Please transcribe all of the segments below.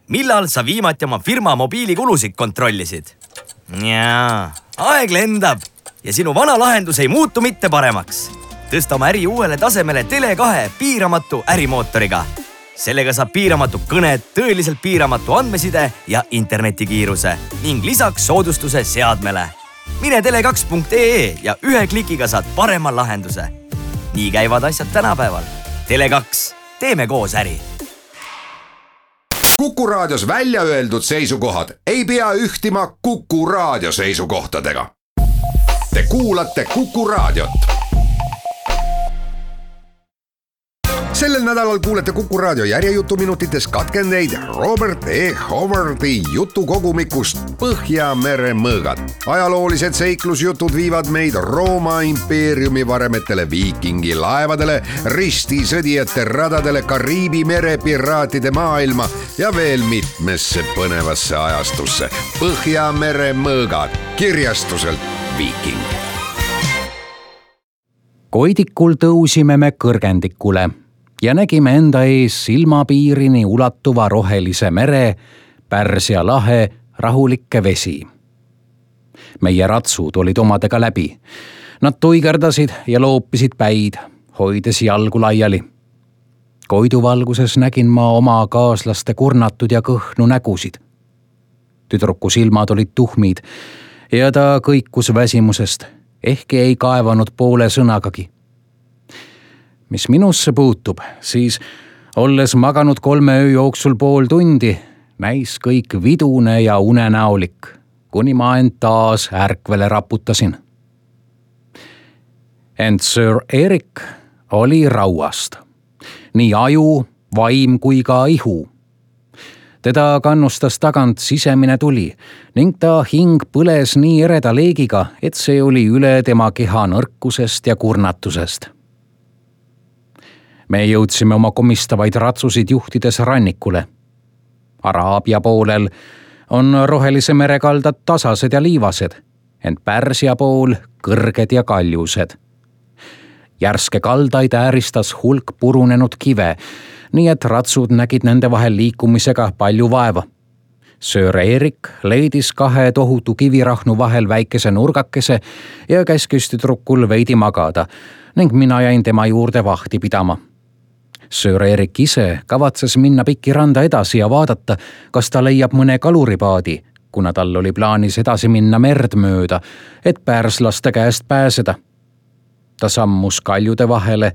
millal sa viimati oma firma mobiilikulusid kontrollisid? Jaa, aeg lendab ja sinu vana lahendus ei muutu mitte paremaks. Tõsta oma äri uuele tasemele Tele2 piiramatu ärimootoriga. Sellega saab piiramatu kõned, tõeliselt piiramatu andmeside ja internetikiiruse ning lisaks soodustuse seadmele. Mine tele2.ee ja ühe klikiga saad parema lahenduse. Nii käivad asjad tänapäeval. Tele2, teeme koos äri. Kuku Raadios välja öeldud seisukohad ei pea ühtima Kuku Raadio seisukohtadega. Te kuulate Kuku Raadiot. Sellel nädalal kuulete Kuku Raadio järjejutuminutites katkendeid Robert E. Howardi jutukogumikust Põhjamere mõõgad. Ajaloolised seiklusjutud viivad meid Rooma impeeriumi varemetele, viikingi laevadele, ristisõdijate radadele, Kariibi mere piraatide maailma ja veel mitmesse põnevasse ajastusse. Põhjamere mõõgad kirjastuselt Viiking. Koidikul tõusime me kõrgendikule ja nägime enda ees silmapiirini ulatuva rohelise mere, Pärsia lahe, rahulikke vesi. Meie ratsud olid omadega läbi. Nad tuigerdasid ja loopisid päid, hoides jalgu laiali. Koiduvalguses nägin ma oma kaaslaste kurnatud ja kõhnu nägusid. Tüdruku silmad olid tuhmid ja ta kõikus väsimusest, ehkki ei kaevanud poole sõnagagi. Mis minusse puutub, siis olles maganud 3 öö jooksul pool tundi, näis kõik vidune ja unenäolik, kuni ma end taas ärkvele raputasin. Ent Sir Erik oli rauast. Nii aju, vaim kui ka ihu. Teda kannustas tagant sisemine tuli ning ta hing põles nii ereda leegiga, et see oli üle tema keha nõrkusest ja kurnatusest. Me jõudsime oma komistavaid ratsusid juhtides rannikule. Araabia poolel on rohelise mere kaldad tasased ja liivased, ent Pärsia pool kõrged ja kaljused. Järske kaldaid ääristas hulk purunenud kive, nii et ratsud nägid nende vahel liikumisega palju vaeva. Sir Erik leidis 2 tohutu kivirahnu vahel väikese nurgakese ja käskis tüdrukul veidi magada ning mina jäin tema juurde vahti pidama. Sir Erik ise kavatses minna pikki randa edasi ja vaadata, kas ta leiab mõne kaluripaadi, kuna tal oli plaanis edasi minna merd mööda, et pärslaste käest pääseda. Ta sammus kaljude vahele,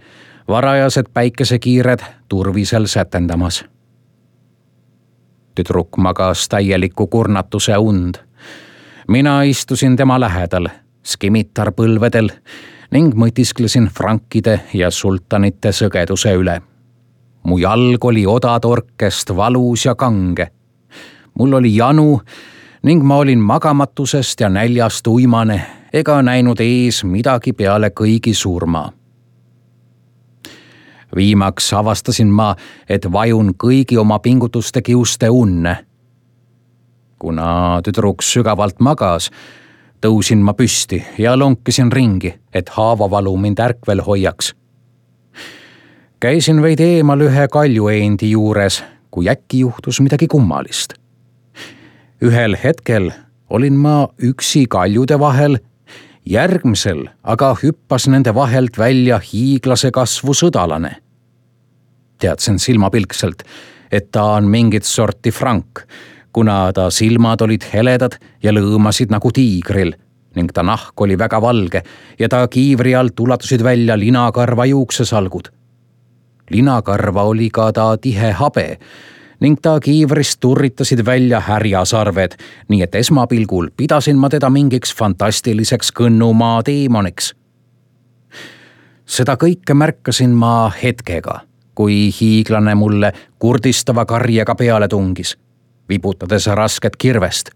varajased päikesekiired turvisel sätendamas. Tüdruk magas täieliku kurnatuse und. Mina istusin tema lähedal, skimitar põlvedel ning mõtisklesin frankide ja sultanite sõgeduse üle. Mu jalg oli odatorkest valus ja kange. Mul oli janu ning ma olin magamatusest ja näljast uimane ega näinud ees midagi peale kõigi surma. Viimaks avastasin ma, et vajun kõigi oma pingutuste kiuste unne. Kuna tüdruk sügavalt magas, tõusin ma püsti ja lonkisin ringi, et haavavalu mind ärkvel hoiaks. Käisin veidi eemal ühe kaljueendi juures, kui äkki juhtus midagi kummalist. Ühel hetkel olin ma üksi kaljude vahel, järgmisel aga hüppas nende vahelt välja hiiglase kasvu sõdalane. Teadsin silmapilkselt, et ta on mingit sorti frank, kuna ta silmad olid heledad ja lõõmasid nagu tiigril ning ta nahk oli väga valge ja ta kiivri alt ulatusid välja linakarva juuksesalgud. Linakarva oli ka ta tihe habe ning ta kiivrist turritasid välja härjasarved, nii et esmapilgul pidasin ma teda mingiks fantastiliseks kõnnumaa teemoniks. Seda kõike märkasin ma hetkega, kui hiiglane mulle kurdistava karjega peale tungis, vibutades rasket kirvest.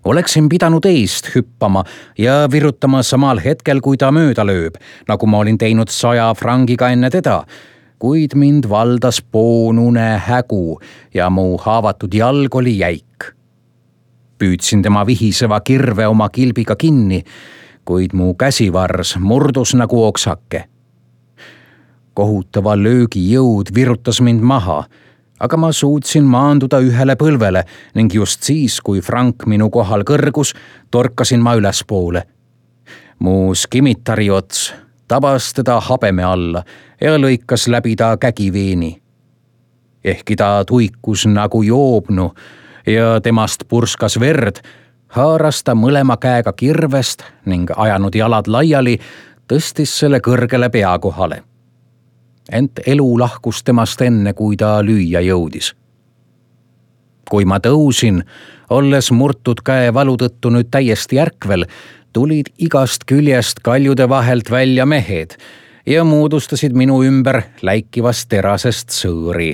Oleksin pidanud eest hüppama ja virutama samal hetkel, kui ta mööda lööb, nagu ma olin teinud 100 frangiga enne teda, kuid mind valdas poonune hägu ja mu haavatud jalg oli jäik. Püüdsin tema vihiseva kirve oma kilbiga kinni, kuid mu käsivars murdus nagu oksake. Kohutava löögi jõud virutas mind maha, aga ma suutsin maanduda ühele põlvele ning just siis, kui Frank minu kohal kõrgus, torkasin ma ülespoole. Mu skimitari ots tabas teda habeme alla ja lõikas läbi ta kägiveeni. Ehkki ta tuikus nagu joobnu ja temast purskas verd, haaras ta mõlema käega kirvest ning ajanud jalad laiali, tõstis selle kõrgele pea kohale. Ent elu lahkus temast enne, kui ta lüüa jõudis. Kui ma tõusin, olles murtud käe valu tõttu nüüd täiesti ärkvel, tulid igast küljest kaljude vahelt välja mehed ja moodustasid minu ümber läikivast terasest sõõri.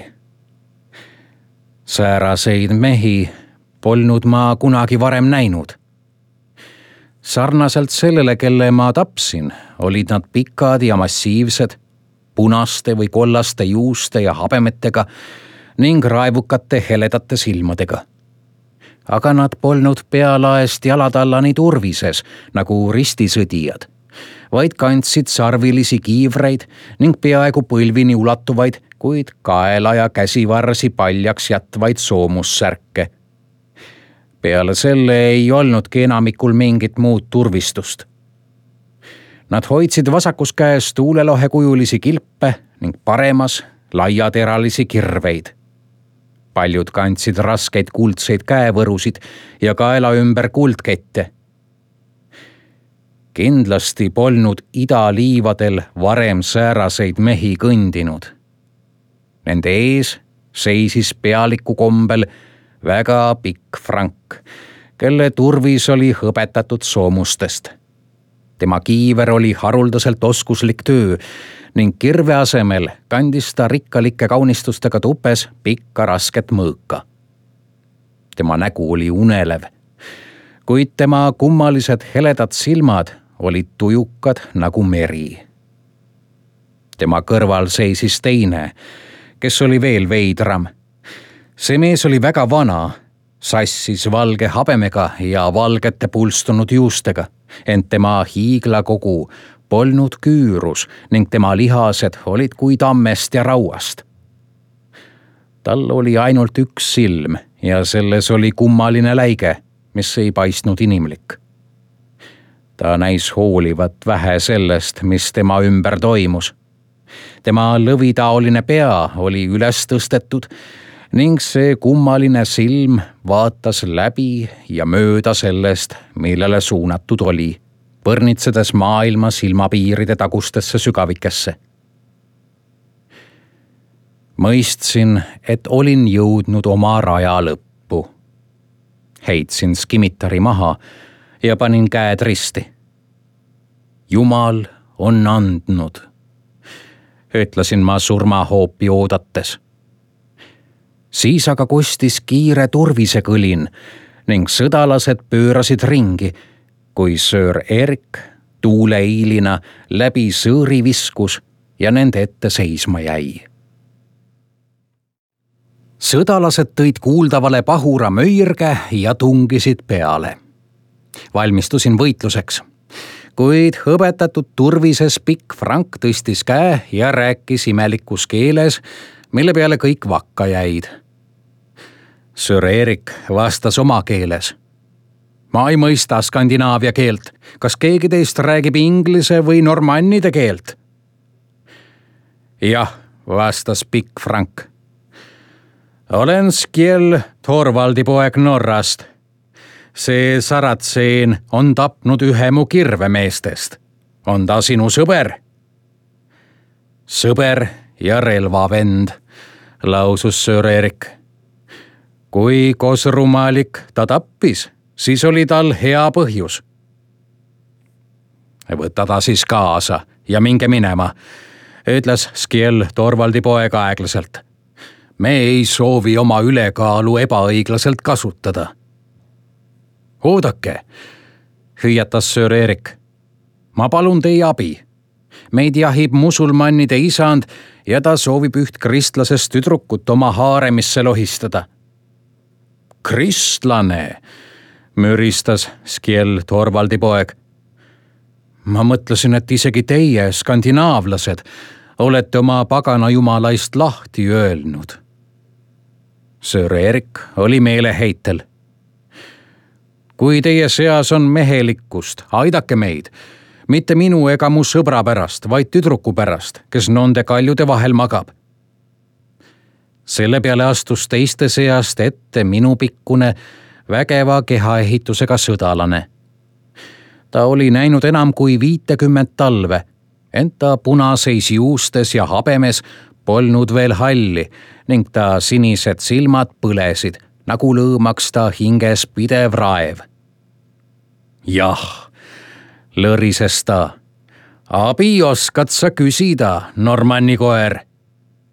Sääraseid mehi polnud ma kunagi varem näinud. Sarnaselt sellele, kelle ma tapsin, olid nad pikad ja massiivsed, punaste või kollaste juuste ja habemetega ning raevukate heledate silmadega. Aga nad polnud pealaest jalatallani turvises nagu ristisõdijad, vaid kandsid sarvilisi kiivreid ning peaaegu põlvini ulatuvaid, kuid kaela ja käsivarsi paljaks jätvaid soomussärke. Peale selle ei olnudki enamikul mingit muud turvistust. Nad hoidsid vasakus käes tuulelohekujulisi kilpe ning paremas laiateralisi kirveid. Paljud kandsid raskeid kuldseid käevõrusid ja kaela ümber kuldkette. Kindlasti polnud idaliivadel varem sääraseid mehi kõndinud. Nende ees seisis pealiku kombel väga pikk Frank, kelle turvis oli hõbetatud soomustest. Tema kiiver oli haruldaselt oskuslik töö ning kirve asemel kandis ta rikkalike kaunistustega tupes pikka rasket mõõka. Tema nägu oli unelev, kuid tema kummalised heledad silmad olid tujukad nagu meri. Tema kõrval seisis teine, kes oli veel veidram. See mees oli väga vana, sassis valge habemega ja valgete pulstunud juustega, ent tema hiiglakogu polnud küürus ning tema lihased olid kui tammest ja rauast. Tal oli ainult üks silm ja selles oli kummaline läige, mis ei paistnud inimlik. Ta näis hoolivat vähe sellest, mis tema ümber toimus. Tema lõvitaoline pea oli üles tõstetud ning see kummaline silm vaatas läbi ja mööda sellest, millele suunatud oli, põrnitsedes maailma silmapiiride tagustesse sügavikesse. Mõistsin, et olin jõudnud oma raja lõppu. Heitsin skimitari maha ja panin käed risti. Jumal on andnud, ütlesin ma surmahoopi oodates. Siis aga kostis kiire turvisekõlin ning sõdalased pöörasid ringi, kui Sir Erik tuuleiilina läbi sõõri viskus ja nende ette seisma jäi. Sõdalased tõid kuuldavale pahura möirge ja tungisid peale. Valmistusin võitluseks, kuid hõbetatud turvises pikk Frank tõstis käe ja rääkis imelikus keeles, mille peale kõik vakka jäid. Sir Erik vastas oma keeles. Ma ei mõista skandinaavia keelt. Kas keegi teist räägib inglise või normannide keelt? Jah, vastas pikk Frank. Olen Skjell Thorvaldi poeg Norrast. See saratseen on tapnud ühe mu kirvemeestest. On ta sinu sõber? Sõber ja relvavend, lausus Sir Erik. Kui kosrumalik ta tappis, siis oli tal hea põhjus. Võta ta siis kaasa ja minge minema, ütles Skjell Thorvaldi poeg aeglaselt. Me ei soovi oma ülekaalu ebaõiglaselt kasutada. Oodake, hüüatas Sir Erik. Ma palun teie abi. Meid jahib musulmannide isand ja ta soovib üht kristlasest tüdrukut oma haaremisse lohistada. Kristlane, müristas Skjell Thorvaldi poeg. Ma mõtlesin, et isegi teie, skandinaavlased, olete oma pagana jumalaist lahti öelnud. Sir Erik oli meeleheitel. Kui teie seas on mehelikkust, aidake meid. Mitte minu ega mu sõbra pärast, vaid tüdruku pärast, kes nonde kaljude vahel magab. Selle peale astus teiste seast ette minupikkune vägeva kehaehitusega sõdalane. Ta oli näinud enam kui 50 talve, ent ta punaseis juustes ja habemes polnud veel halli ning ta sinised silmad põlesid, nagu lõõmaks ta hinges pidev raev. Jah, lõrises ta. Abi oskad sa küsida, Normanni koer.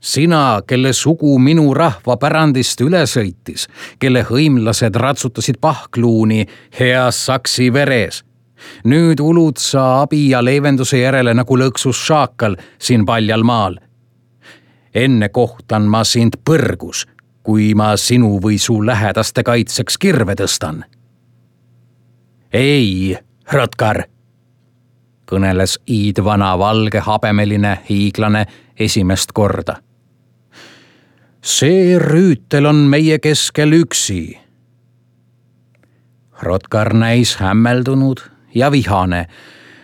Sina, kelle sugu minu rahva pärandist üle sõitis, kelle hõimlased ratsutasid pahkluuni heas saksi veres. Nüüd ulud sa abi ja leevenduse järele nagu lõksus šaakal siin paljal maal. Enne kohtan ma sind põrgus, kui ma sinu või su lähedaste kaitseks kirve tõstan. Ei, Rotkar, kõneles iidvana valge habemeline hiiglane esimest korda. See rüütel on meie keskel üksi. Rotkar näis hämmeldunud ja vihane,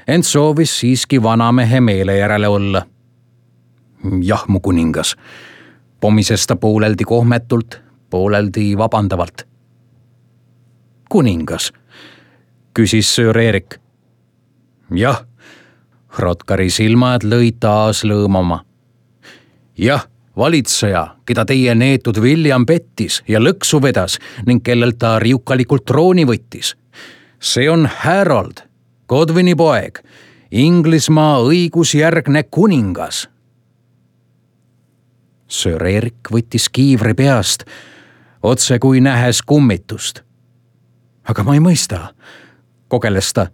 ent soovis siiski vanamehe meele järele olla. Jah, mu kuningas, pomises ta pooleldi kohmetult, pooleldi vabandavalt. Kuningas, küsis Sir Erik. Jah, Rotkari silmad lõid taas lõõmama. Jah, valitseja, keda teie neetud William pettis ja lõksu vedas ning kellelt ta riukalikult trooni võttis. See on Harold, Godwini poeg, Inglismaa õigusjärgne kuningas. Sir Erik võttis kiivri peast, otse kui nähes kummitust. Aga ma ei mõista, kogeles ta.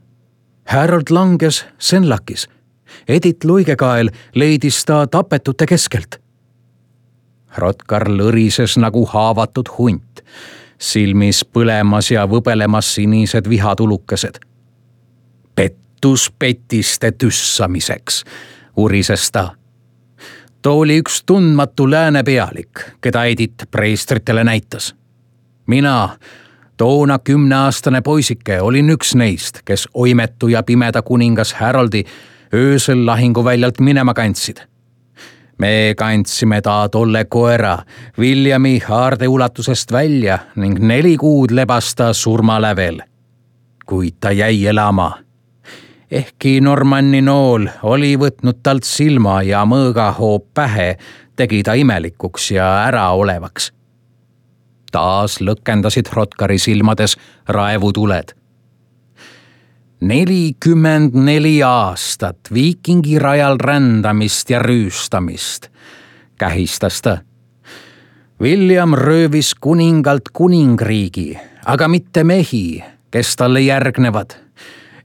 Harold langes Senlakis. Edith Luigekael leidis ta tapetute keskelt. Rotkar lõrises nagu haavatud hunt, silmis põlemas ja võbelemas sinised vihatulukesed. Pettus petiste tüssamiseks, urises ta. Too oli üks tundmatu lääne pealik, keda Edith preestritele näitas. Mina, toona 10-aastane poisike, olin üks neist, kes oimetu ja pimeda kuningas Haroldi öösel lahinguväljalt minema kandsid. Me kandsime ta tolle koera Williami haarde ulatusest välja ning 4 kuud lebas ta surmalävel. Kuid ta jäi elama. Ehkki Normanni nool oli võtnud talt silma ja mõõgahoop pähe, tegi ta imelikuks ja äraolevaks. Taas lõkendasid Rotkari silmades raevutuled. 44 aastat viikingi rajal rändamist ja rüüstamist, kähistas ta. William röövis kuningalt kuningriigi, aga mitte mehi, kes talle järgnevad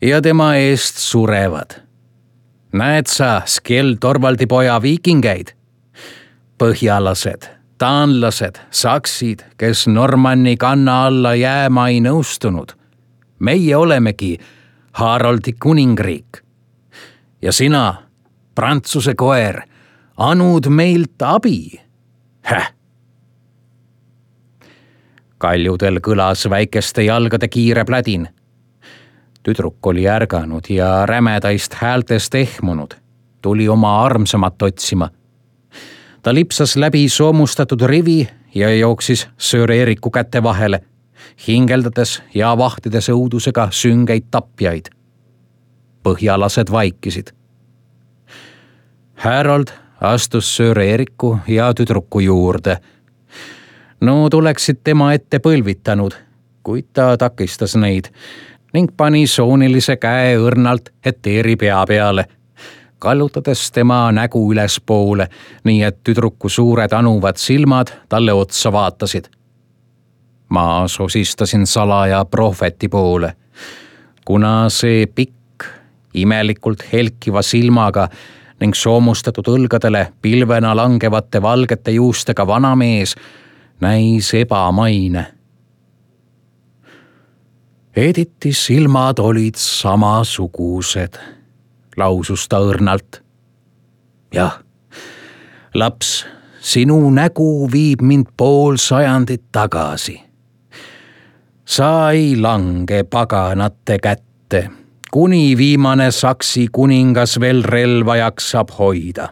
ja tema eest surevad. Näed sa Skell Torvaldi poja viikingeid? Põhjalased, taanlased, saksid, kes Normanni kanna alla jääma ei nõustunud. Meie olemegi Haroldi kuningriik. Ja sina, Prantsuse koer, anud meilt abi. Kaljudel kõlas väikeste jalgade kiire plädin. Tüdruk oli ärganud ja rämedaist häältest ehmunud. Tuli oma armsamat otsima. Ta lipsas läbi soomustatud rivi ja jooksis Sir Eriku käte vahele, hingeldades ja vahtides õudusega süngeid tapjaid. Põhjalased vaikisid. Harold astus Sir Eriku ja tüdruku juurde. Nood oleksid tema ette põlvitanud, kuid ta takistas neid ning pani soonilise käe õrnalt Heteri pea peale, kallutades tema nägu ülespoole, nii et tüdruku suured anuvad silmad talle otsa vaatasid. Ma sosistasin salaja prohveti poole, kuna see pikk, imelikult helkiva silmaga ning soomustatud õlgadele pilvena langevate valgete juustega vanamees näis ebamaine. Edithi silmad olid samasugused, lausus ta õrnalt. Jah, laps, sinu nägu viib mind pool sajandit tagasi. Sa ei lange paganate kätte, kuni viimane Saksi kuningas veel relva jaksab hoida.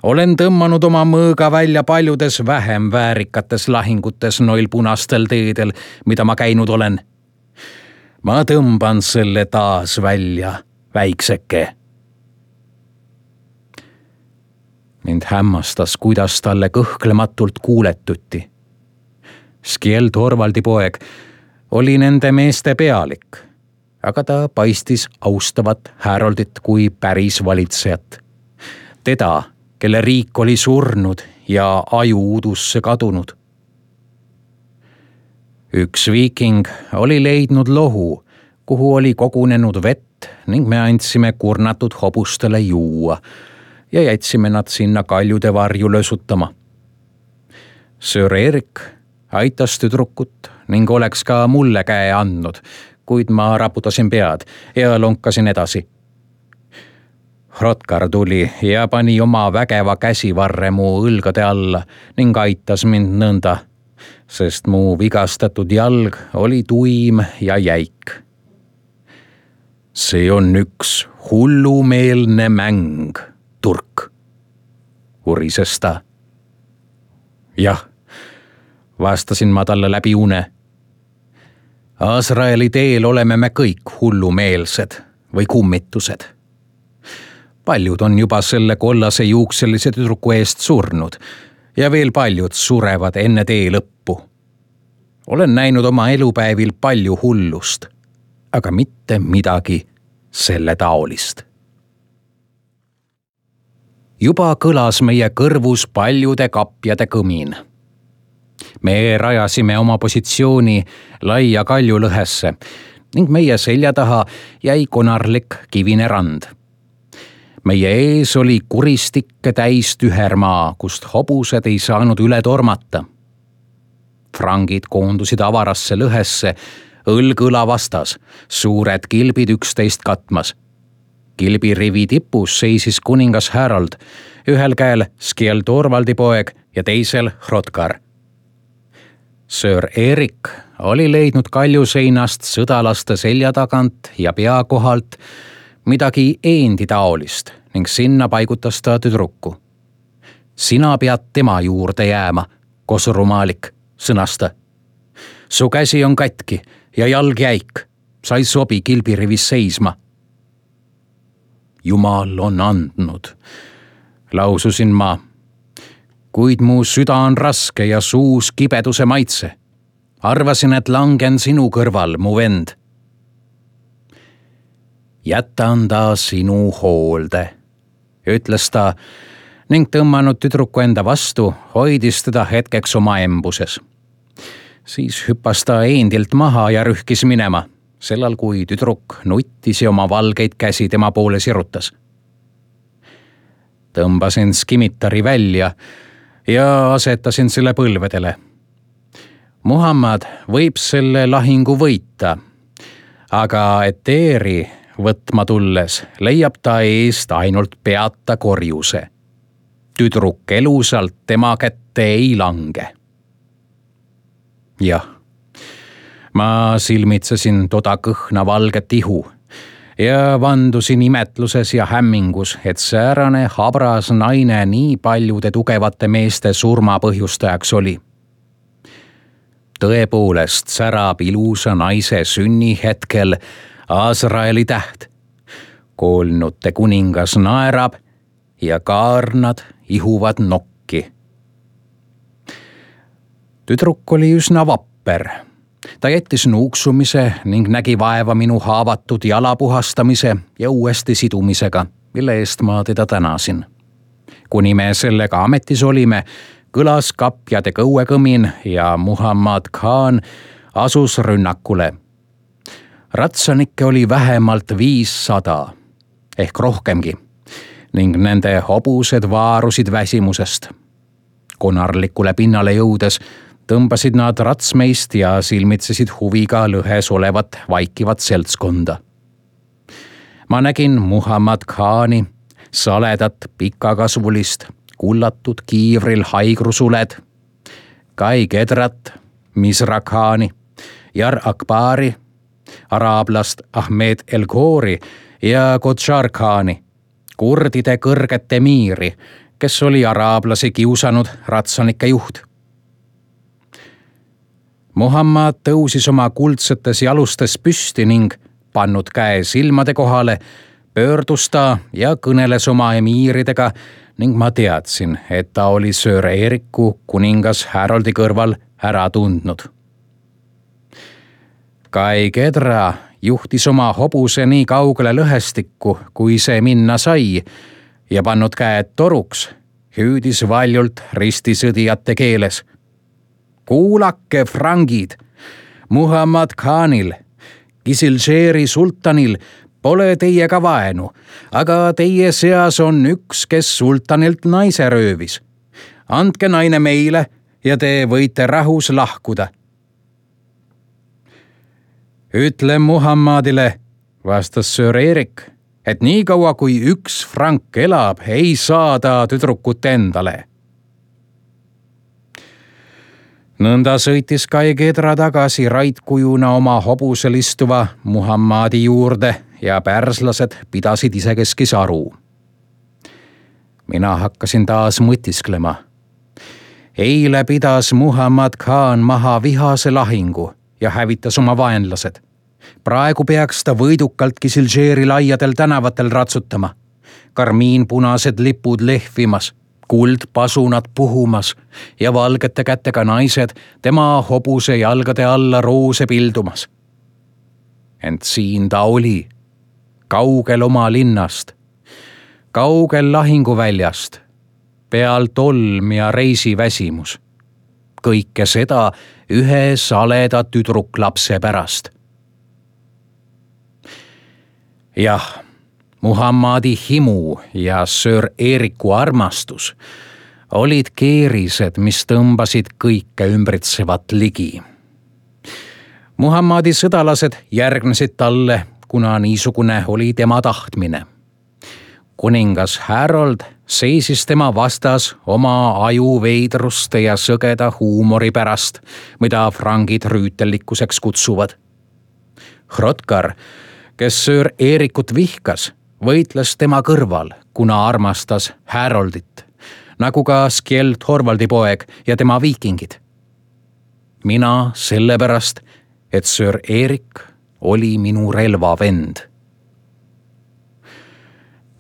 Olen tõmmanud oma mõõga välja paljudes vähem väärikates lahingutes noil punastel teedel, mida ma käinud olen. Ma tõmban selle taas välja, väikseke. Mind hämmastas, kuidas talle kõhklematult kuuletuti. Skjeld Torvaldi poeg oli nende meeste pealik, aga ta paistis austavat Haroldit kui päris valitsejat. Teda, kelle riik oli surnud ja aju udusse kadunud. Üks viiking oli leidnud lohu, kuhu oli kogunenud vett ning me andsime kurnatud hobustele juua ja jätsime nad sinna kaljude varju lösutama. Sir Erik aitas tüdrukut ning oleks ka mulle käe andnud, kuid ma raputasin pead ja lonkasin edasi. Hrothgar tuli ja pani oma vägeva käsivarre mu õlgade alla ning aitas mind nõnda, sest mu vigastatud jalg oli tuim ja jäik. See on üks hullumeelne mäng, turk, urises ta. Jah, vastasin ma talle läbi une. Azraeli teel oleme me kõik hullumeelsed või kummitused. Paljud on juba selle kollase juukselise tüdruku eest surnud ja veel paljud surevad enne tee lõppu. Olen näinud oma elupäevil palju hullust, aga mitte midagi selle taolist. Juba kõlas meie kõrvus paljude kapjade kõmin. Me rajasime oma positsiooni laia kaljulõhesse ning meie selja taha jäi konarlik kivine rand. Meie ees oli kuristikke täis tühermaa, kust hobused ei saanud üle tormata. Frangid koondusid avarasse lõhesse, õlg õla vastas, suured kilbid 11 katmas. Kilbirivi tipus seisis kuningas Harold, ühel käel Skjeld Torvaldi poeg ja teisel Hrothgar. Sir Erik oli leidnud kaljuseinast sõdalaste selja tagant ja pea kohalt midagi eendi taolist ning sinna paigutas ta tüdruku. Sina pead tema juurde jääma, kosurumaalik, sõnas ta. Su käsi on katki ja jalg jäik, sa ei sobi kilbirivis seisma. Jumal on andnud, laususin ma, kuid mu süda on raske ja suus kibeduse maitse. Arvasin, et langen sinu kõrval, mu vend. Jätan ta sinu hoolde, ütles ta ning tõmmanud tüdruku enda vastu, hoidis teda hetkeks oma embuses. Siis hüppas ta eendilt maha ja rühkis minema, sellal kui tüdruk nuttis ja oma valgeid käsi tema poole sirutas. Tõmbasin skimitari välja ja asetasin selle põlvedele. Muhammad võib selle lahingu võita, aga Eteeri võtma tulles leiab ta eest ainult peata korjuse. Tüdruk elusalt tema kätte ei lange. Jah, ma silmitsesin toda kõhna valget ihu ja vandusin imetluses ja hämmingus, et säärane habras naine nii paljude tugevate meeste surma põhjustajaks oli. Tõepoolest särab ilusa naise sünnihetkel Azraeli täht. Koolnute kuningas naerab ja kaarnad ihuvad nokki. Tüdruk oli üsna vapper. Ta jättis nuuksumise ning nägi vaeva minu haavatud jala puhastamise ja uuesti sidumisega, mille eest ma teda tänasin. Kuni me sellega ametis olime, kõlas kapjade kõuekõmin ja Muhammad Khan asus rünnakule. Ratsanikke oli vähemalt 500 ehk rohkemgi ning nende hobused vaarusid väsimusest. Konarlikule pinnale jõudes tõmbasid nad ratsmeist ja silmitsesid huviga lõhes olevat vaikivat seltskonda. Ma nägin Muhammad Khani, saledat pikakasvulist, kullatud kiivril haigrusuled, Kai Kedrat, Misra Khani, Jar Akbari, araablast Ahmed El Khori ja Kodžar Khani, kurdide kõrget emiiri, kes oli araablasi kiusanud ratsanike juht. Muhammad tõusis oma kuldsetes jalustes püsti ning pannud käe silmade kohale, pöördus ta ja kõneles oma emiiridega ning ma teadsin, et ta oli Sir Eriku kuningas Haroldi kõrval ära tundnud. Kai Kedra juhtis oma hobuse nii kaugele lõhestikku, kui see minna sai ja pannud käed toruks, hüüdis valjult ristisõdijate keeles. Kuulake, frangid, Muhammad Khanil, Kisilžeeri sultanil pole teiega vaenu, aga teie seas on üks, kes sultanilt naise röövis. Andke naine meile ja te võite rahus lahkuda. Ütle Muhammadile, vastas Sir Erik, et nii kaua kui üks frank elab, ei saa ta tüdrukut endale. Nõnda sõitis Kai Kedra tagasi raitkujuna oma hobusel istuva Muhammadi juurde ja pärslased pidasid isekeskis aru. Mina hakkasin taas mõtisklema. Eile pidas Muhammad Khan maha vihase lahingu ja hävitas oma vaenlased. Praegu peaks ta võidukalt Kisilžeeri laiadel tänavatel ratsutama, karmiinpunased lipud lehvimas, kuldpasunad puhumas ja valgete kätega naised tema hobuse jalgade alla roose pildumas. Ent siin ta oli, kaugel oma linnast, kaugel lahinguväljast, peal tolm ja reisiväsimus. Kõike seda ühe saleda tüdruklapse pärast. Jah, Muhammadi himu ja Sir Eriku armastus olid keerised, mis tõmbasid kõike ümbritsevat ligi. Muhammadi sõdalased järgnesid talle, kuna niisugune oli tema tahtmine. Kuningas Harold seisis tema vastas oma ajuveidruste ja sõgeda huumori pärast, mida frangid rüütellikkuseks kutsuvad. Hrotkar, kes Sir Erikut vihkas, võitles tema kõrval, kuna armastas Haroldit, nagu ka Skjeld Thorvaldi poeg ja tema viikingid. Mina sellepärast, et Sir Erik oli minu relvavend.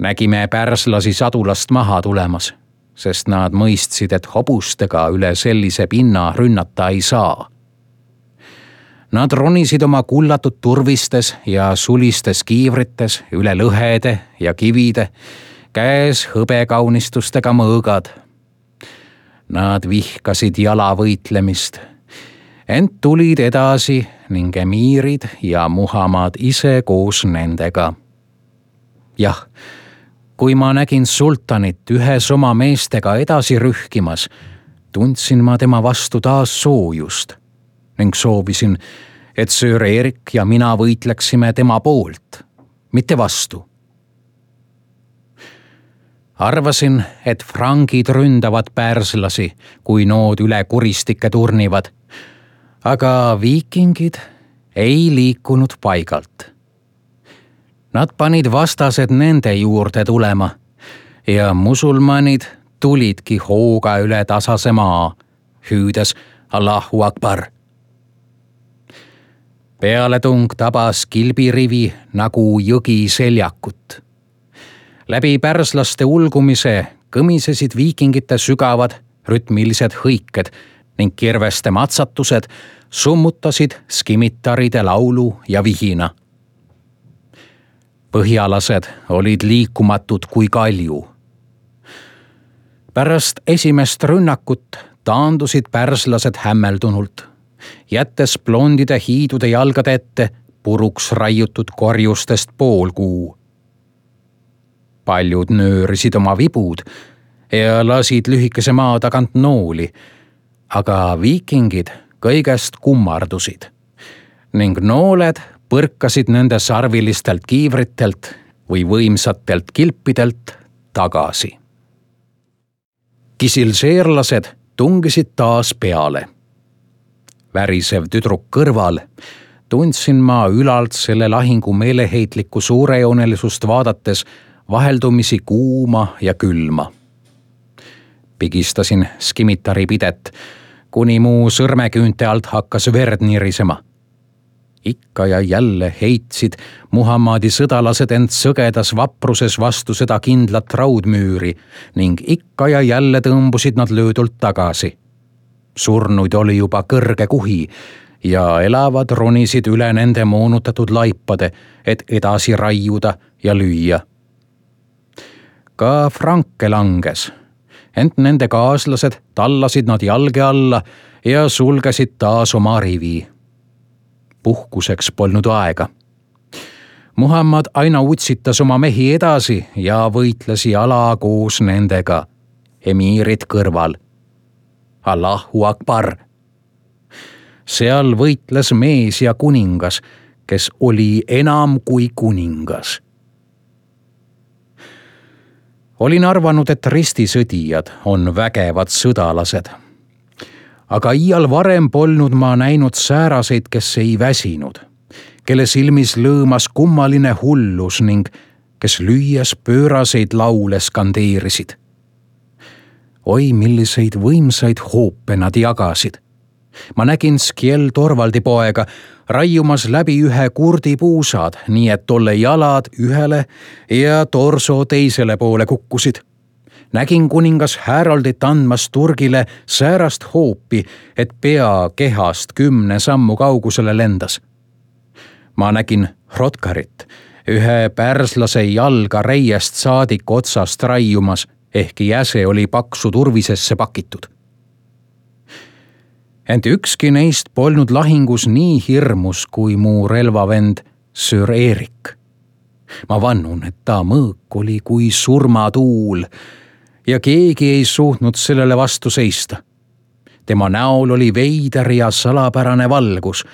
Nägime pärslasi sadulast maha tulemas, sest nad mõistsid, et hobustega üle sellise pinna rünnata ei saa. Nad ronisid oma kullatud turvistes ja sulistes kiivrites üle lõhede ja kivide, käes hõbekaunistustega mõõgad. Nad vihkasid jalavõitlemist, ent tulid edasi ning emiirid ja Muhammad ise koos nendega. Jah, kui ma nägin sultanit ühes oma meestega edasi rühkimas, tundsin ma tema vastu taas soojust ning soovisin, et Sir Erik ja mina võitleksime tema poolt, mitte vastu. Arvasin, et frangid ründavad pärslasi, kui nood üle kuristike turnivad, aga viikingid ei liikunud paigalt. Nad panid vastased nende juurde tulema ja musulmanid tulidki hooga üle tasase maa, hüüdes Allahu Akbar. Pealetung tabas kilbirivi nagu jõgi seljakut. Läbi pärslaste ulgumise kõmisesid viikingite sügavad rütmilised hõiked ning kirveste matsatused summutasid skimitaride laulu ja vihina. Põhjalased olid liikumatud kui kalju. Pärast esimest rünnakut taandusid pärslased hämmeldunult, jättes blondide hiidude jalgade ette puruks raiutud korjustest pool kuu. Paljud nöörisid oma vibud ja lasid lühikese maa tagant nooli, aga viikingid kõigest kummardusid ning nooled põrkasid nende sarvilistelt kiivritelt või võimsatelt kilpidelt tagasi. kisilseerlased tungisid taas peale. Värisev tüdruk kõrval tundsin ma ülalt selle lahingu meeleheitlikku suurejoonelisust vaadates vaheldumisi kuuma ja külma. Pigistasin skimitari pidet, kuni mu sõrmeküünte alt hakkas verd nirisema. Ikka ja jälle heitsid Muhammadi sõdalased end sõgedas vapruses vastu seda kindlat raudmüüri ning ikka ja jälle tõmbusid nad löödult tagasi. Surnuid oli juba kõrge kuhi ja elavad ronisid üle nende moonutatud laipade, et edasi raiuda ja lüüa. Ka Franke langes, ent nende kaaslased tallasid nad jalge alla ja sulgesid taas oma rivi. Puhkuseks polnud aega. Muhammad aina utsitas oma mehi edasi ja võitles jala koos nendega, emiirid kõrval. Allahu Akbar! Seal võitles mees ja kuningas, kes oli enam kui kuningas. Olin arvanud, et ristisõdijad on vägevad sõdalased. Aga iial varem polnud ma näinud sääraseid, kes ei väsinud, kelle silmis lõõmas kummaline hullus ning kes lüües pööraseid laule skandeerisid. Oi, milliseid võimsaid hoope nad jagasid. Ma nägin Skjell Torvaldi poega raiumas läbi ühe kurdi puusad, nii et tolle jalad ühele ja torso teisele poole kukkusid. Nägin kuningas Haroldit andmas turgile säärast hoopi, et pea kehast 10 sammu kaugusele lendas. Ma nägin Hrodgarit, ühe pärslase jalga reiest saadik otsast raiumas, ehkki jäse oli paksu turvisesse pakitud. Ent ükski neist polnud lahingus nii hirmus kui mu relvavend Sir Erik. Ma vannun, et ta mõõk oli kui surmatuul ja keegi ei suutnud sellele vastu seista. Tema näol oli veider ja salapärane valgus.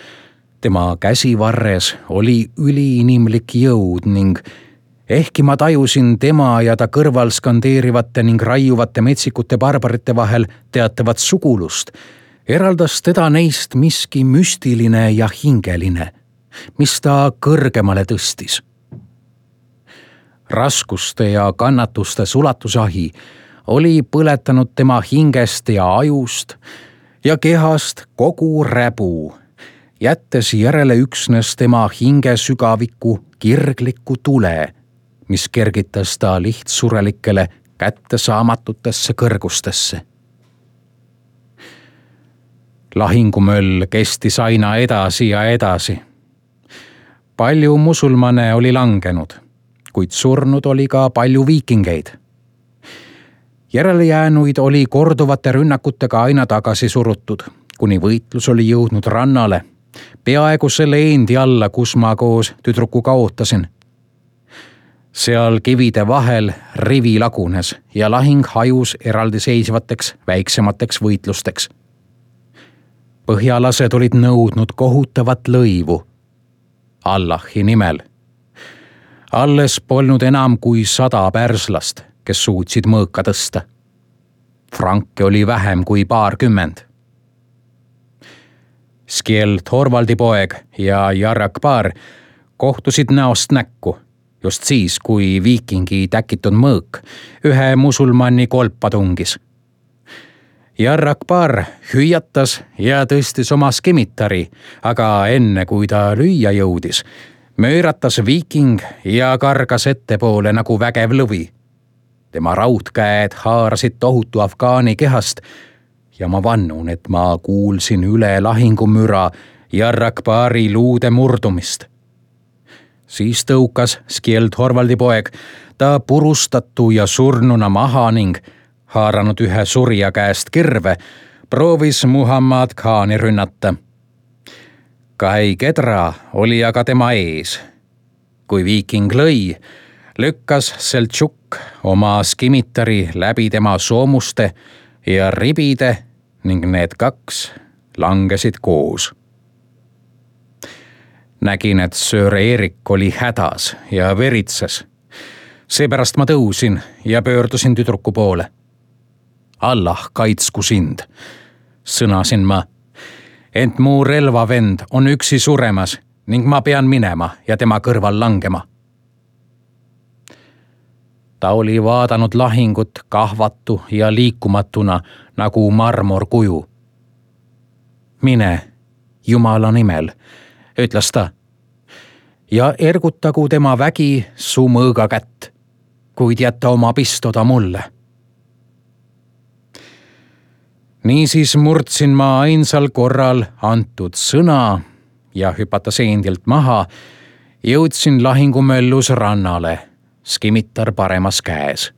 Tema käsivarres oli üliinimlik jõud ning ehkki ma tajusin tema ja ta kõrval skandeerivate ning raiuvate metsikute barbarite vahel teatavat sugulust, eraldas teda neist miski müstiline ja hingeline, mis ta kõrgemale tõstis. Raskuste ja kannatuste sulatusahi oli põletanud tema hingest ja ajust ja kehast kogu räbu, jättes järele üksnes tema hinge sügaviku kirgliku tule, mis kergitas ta lihtsurelikele kättesaamatutesse kõrgustesse. Lahingumöll kestis aina edasi ja edasi. Palju musulmane oli langenud, kuid surnud oli ka palju viikingeid. Järelejäänuid oli korduvate rünnakutega aina tagasi surutud, kuni võitlus oli jõudnud rannale, peaaegu selle endi alla, kus ma koos tüdrukuga ootasin. Seal kivide vahel rivi lagunes ja lahing hajus eraldiseisvateks väiksemateks võitlusteks. Põhjalased olid nõudnud kohutavat lõivu Allahi nimel. Alles polnud enam kui 100 pärslast, kes suutsid mõõka tõsta. Franke oli vähem kui 20. Skjell Torvaldi poeg ja Jarrakbar kohtusid näost näkku, just siis, kui viikingi täkitud mõõk ühe musulmani kolpa tungis. Jarrakbar hüüatas ja tõstis oma skimitari, aga enne kui ta lüüa jõudis, mööratas viiking ja kargas ettepoole nagu vägev lõvi. Tema raudkäed haarasid tohutu afgaani kehast ja ma vannun, et ma kuulsin üle lahingumüra Jarrakbari luude murdumist. Siis tõukas Skjell Torvaldi poeg ta purustatu ja surnuna maha ning haaranud ühe surja käest kirve, proovis Muhammad Khani rünnata. Kai Kedra oli aga tema ees. Kui viiking lõi, lükkas Seltšuk oma skimitari läbi tema soomuste ja ribide ning need 2 langesid koos. Nägin, et Sir Erik oli hädas ja veritses. Seepärast ma tõusin ja pöördusin tüdruku poole. Allah kaitsku sind, sõnasin ma. Ent mu relvavend on üksi suremas ning ma pean minema ja tema kõrval langema. Ta oli vaadanud lahingut kahvatu ja liikumatuna nagu marmorkuju. Mine, Jumala nimel, ütles ta, ja ergutagu tema vägi su mõõga kätt, kuid jätta oma pistoda mulle. Niisiis murdsin ma ainsal korral antud sõna ja hüpata seendilt maha, jõudsin lahingumöllus rannale, skimitar paremas käes.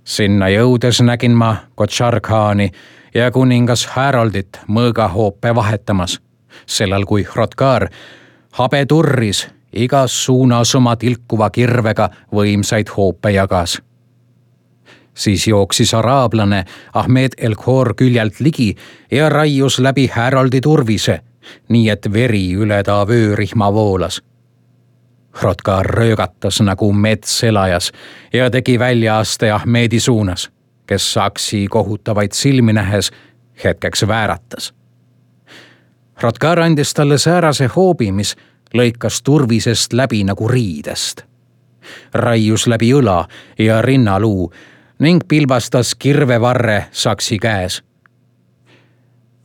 Sinna jõudes nägin ma Kotsar Khani ja kuningas Haroldit mõõgahoope vahetamas, sellal kui Hrothgar habe turris igas suunas oma tilkuva kirvega võimsaid hoope jagas. Siis jooksis araablane Ahmed El Khor küljelt ligi ja raius läbi Haroldi turvise, nii et veri üle ta vöörihma voolas. Hrothgar röögatas nagu mets elajas ja tegi väljaaste Ahmedi suunas, kes saksi kohutavaid silmi nähes hetkeks vääratas. Hrothgar andis talle säärase hoobi, mis lõikas turvisest läbi nagu riidest. Raius läbi õla ja rinnaluu ning pilbastas kirvevarre saksi käes.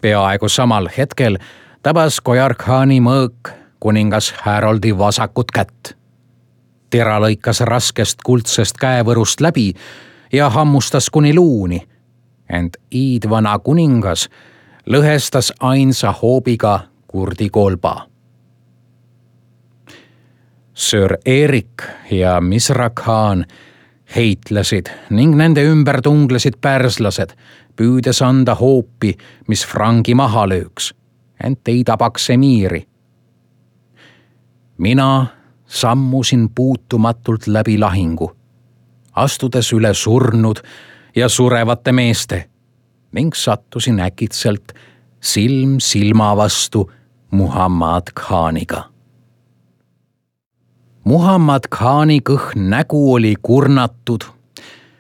Peaaegu samal hetkel tabas Kotsar Khani mõõk kuningas Haroldi vasakut kätt. Tera lõikas raskest kuldsest käevõrust läbi ja hammustas kuni luuni, ent iidvana kuningas lõhestas ainsa hoobiga kurdi kolba. Sir Erik ja Misra Khan heitlesid ning nende ümber tunglesid pärslased, püüdes anda hoopi, mis frangi maha lööks, ent ei tabaks emiiri. Mina sammusin puutumatult läbi lahingu, astudes üle surnud ja surevate meeste ning sattusin äkitselt silm silma vastu Muhammad Khaniga. Muhammad Khani kõhn nägu oli kurnatud,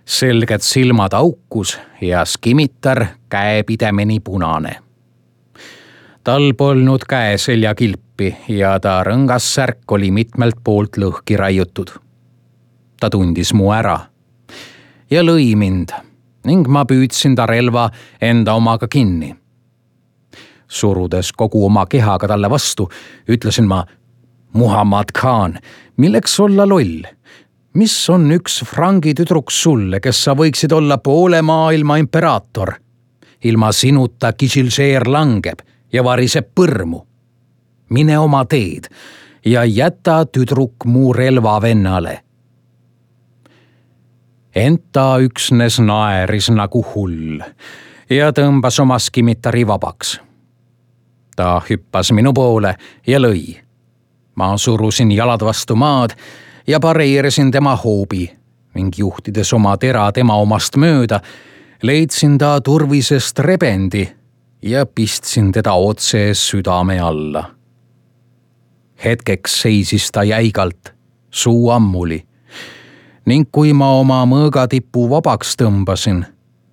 selged silmad aukus ja skimitar käepidemeni punane. Tal polnud käeseljakilpi ja ta rõngas särk oli mitmelt poolt lõhki raiutud. Ta tundis mu ära ja lõi mind ning ma püüdsin ta relva enda omaga kinni. Surudes kogu oma kehaga talle vastu, ütlesin ma: Muhammad Khan, milleks olla loll? Mis on üks frangi tüdruks sulle, kes sa võiksid olla poole maailma imperaator? Ilma sinuta Kishilžeer langeb ja variseb põrmu. Mine oma teed ja jäta tüdruk mu relvavennale. Ent ta üksnes naeris nagu hull ja tõmbas oma skimitari vabaks. Ta hüppas minu poole ja lõi. Ma surusin jalad vastu maad ja pareerisin tema hoobi ning juhtides oma tera tema omast mööda, leidsin ta turvisest rebendi ja pistsin teda otse südame alla. Hetkeks seisis ta jäigalt, suu ammuli, ning kui ma oma mõõgatipu vabaks tõmbasin,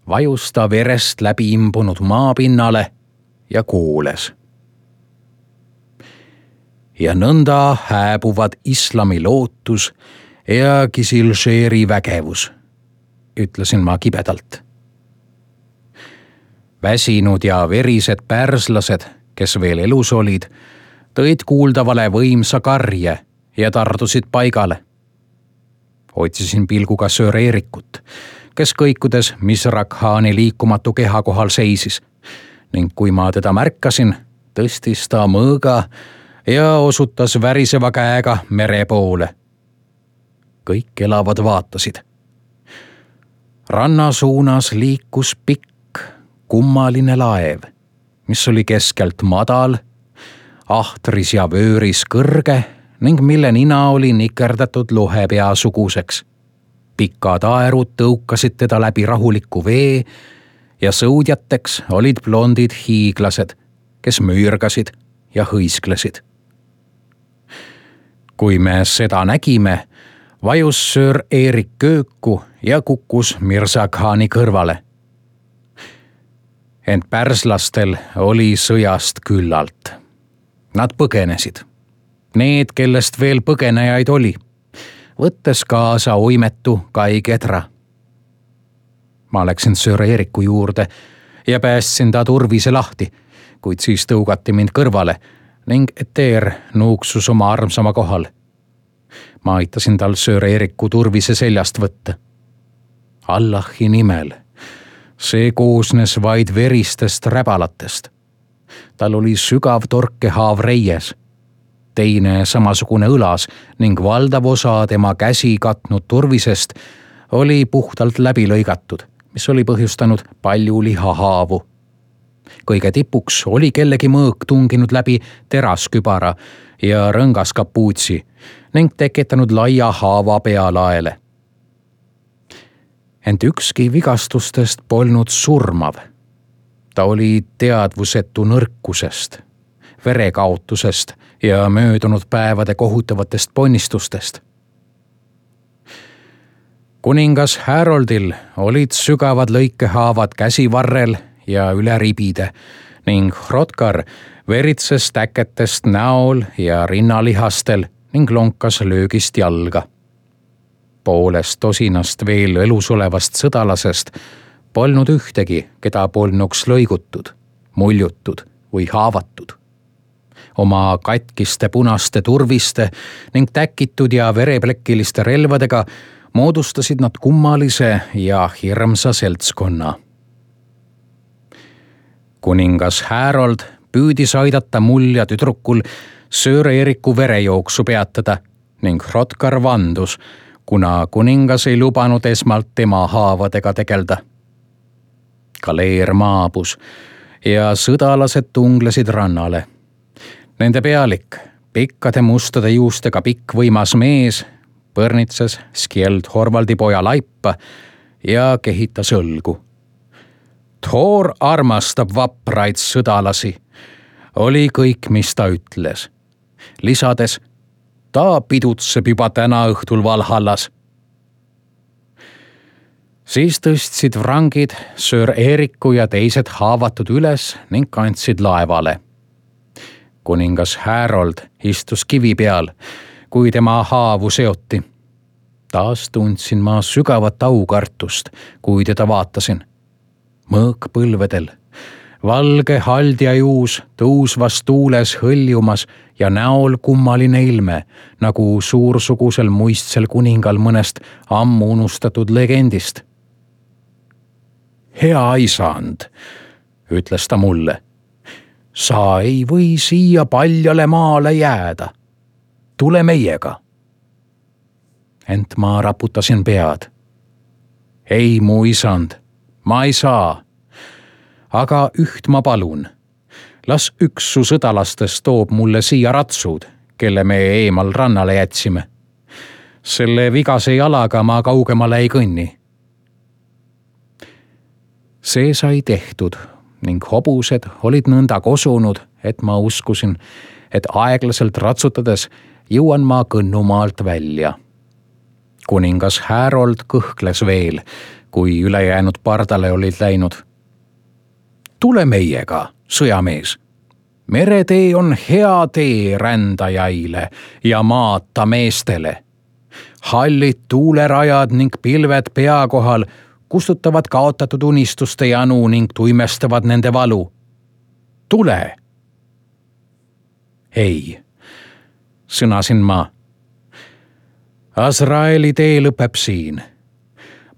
vajus ta verest läbi imbunud maapinnale ja kooles. Ja nõnda hääbuvad islami lootus ja Kishilžeeri vägevus, ütlesin ma kibedalt. Väsinud ja verised pärslased, kes veel elus olid, tõid kuuldavale võimsa karje ja tardusid paigale. Otsisin pilguga Sir Erikut, kes kõikudes Misra Khani liikumatu keha kohal seisis ning kui ma teda märkasin, tõstis ta mõõga ja osutas väriseva käega mere poole. Kõik elavad vaatasid. Ranna suunas liikus pikk, kummaline laev, mis oli keskelt madal, ahtris ja vööris kõrge ning mille nina oli nikerdatud lohepea suguseks. Pikad aerud tõukasid teda läbi rahuliku vee ja sõudjateks olid blondid hiiglased, kes müürgasid ja hõisklesid. Kui me seda nägime, vajus söör Eerik kööku ja kukkus Mirza Khani kõrvale. Ent pärslastel oli sõjast küllalt. Nad põgenesid. Need, kellest veel põgenejaid oli, võttes kaasa oimetu Kai Kedra. Ma läksin söör Eeriku juurde ja päästsin ta turvise lahti, kuid siis tõugati mind kõrvale ning Eteer nuuksus oma armsama kohal. Ma aitasin tal söör Eeriku turvise seljast võtta. Allahi nimel. See koosnes vaid veristest räbalatest. Tal oli sügav torkehaav reies, teine samasugune õlas ning valdav osa tema käsi katnud turvisest oli puhtalt läbi lõigatud, mis oli põhjustanud palju lihahaavu. Kõige tipuks oli kellegi mõõk tunginud läbi teraskübara ja rõngas kapuutsi ning tekitanud laia haava pealaele. Ent ükski vigastustest polnud surmav. Ta oli teadvusetu nõrkusest, verekaotusest ja möödunud päevade kohutavatest ponnistustest. Kuningas Haroldil olid sügavad lõikehaavad käsivarrel ja üle ribide ning Hrothgar veritses täketest näol ja rinnalihastel ning lonkas löögist jalga. Poolest tosinast veel elus olevast sõdalasest polnud ühtegi, keda polnuks lõigutud, muljutud või haavatud. Oma katkiste punaste turviste ning täkitud ja vereplekiliste relvadega moodustasid nad kummalise ja hirmsa seltskonna. Kuningas Harold püüdis aidata mul ja tüdrukul söör Eeriku verejooksu peatada ning Hrothgar vandus, kuna kuningas ei lubanud esmalt tema haavadega tegelda. Kaleer maabus ja sõdalased tunglesid rannale. Nende pealik, pikkade mustade juustega pikk võimas mees, põrnitses Skjeld Horvaldi poja laipa ja kehitas õlgu. Thor armastab vapraid sõdalasi, oli kõik, mis ta ütles. Lisades, ta pidutseb juba täna õhtul Valhallas. Siis tõstsid vrangid söör Eeriku ja teised haavatud üles ning kandsid laevale. Kuningas Harold istus kivi peal, kui tema haavu seoti. Taas tundsin ma sügavat aukartust, kui teda vaatasin. Mõõk põlvedel, valge haldjajuus tõusvas tuules hõljumas ja näol kummaline ilme, nagu suursugusel muistsel kuningal mõnest ammu unustatud legendist. Hea isand, ütles ta mulle, sa ei või siia paljale maale jääda. Tule meiega. Ent ma raputasin pead. Ei, mu isand, ma ei saa. Aga üht ma palun. Las üks su sõdalastest toob mulle siia ratsud, kelle me eemal rannale jätsime. Selle vigase jalaga ma kaugemale ei kõnni. See sai tehtud ning hobused olid nõnda kosunud, et ma uskusin, et aeglaselt ratsutades jõuan ma Kõnnumaalt välja. Kuningas Harold kõhkles veel, kui ülejäänud pardale olid läinud. Tule meiega, sõjamees. Meretee on hea tee rändajaile ja maata meestele. Hallid tuulerajad ning pilved pea kohal kustutavad kaotatud unistuste janu ning tuimestavad nende valu. Tule! Ei, sõnasin ma. Azraeli tee lõpeb siin.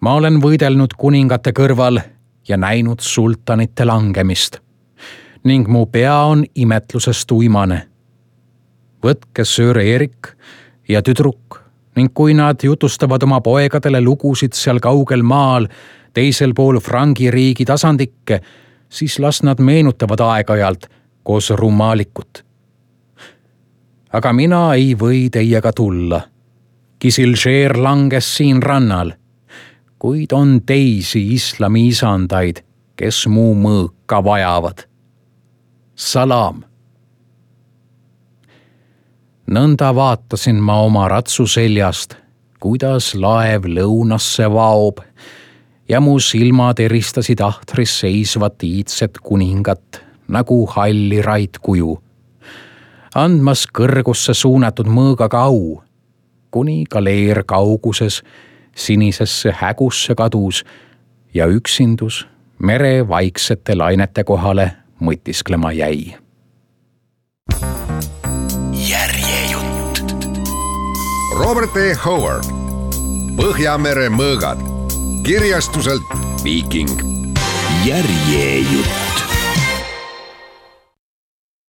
Ma olen võidelnud kuningate kõrval ja näinud sultanite langemist ning mu pea on imetlusest uimane. Võtke söör Eerik ja tüdruk ning kui nad jutustavad oma poegadele lugusid seal kaugel maal, teisel pool Frangi riigi tasandikke, siis las nad meenutavad aeg-ajalt koos Rumaalikut. Aga mina ei või teiega tulla. Kisilžeer langes siin rannal, kuid on teisi islami isandaid, kes mu mõõka vajavad. Salam. Nõnda vaatasin ma oma ratsu seljast, kuidas laev lõunasse vaob ja mu silmad eristasid ahtris seisvat iidset kuningat nagu halli raidkuju, andmas kõrgusse suunatud mõõgaga au, kuni galeer kauguses sinisesse hägusse kadus ja üksindus mere vaiksete lainete kohale mõtisklema jäi. Järjejutt. Robert E. Howard, Põhjamere mõõgad, kirjastuselt Viiking. Järjejutt.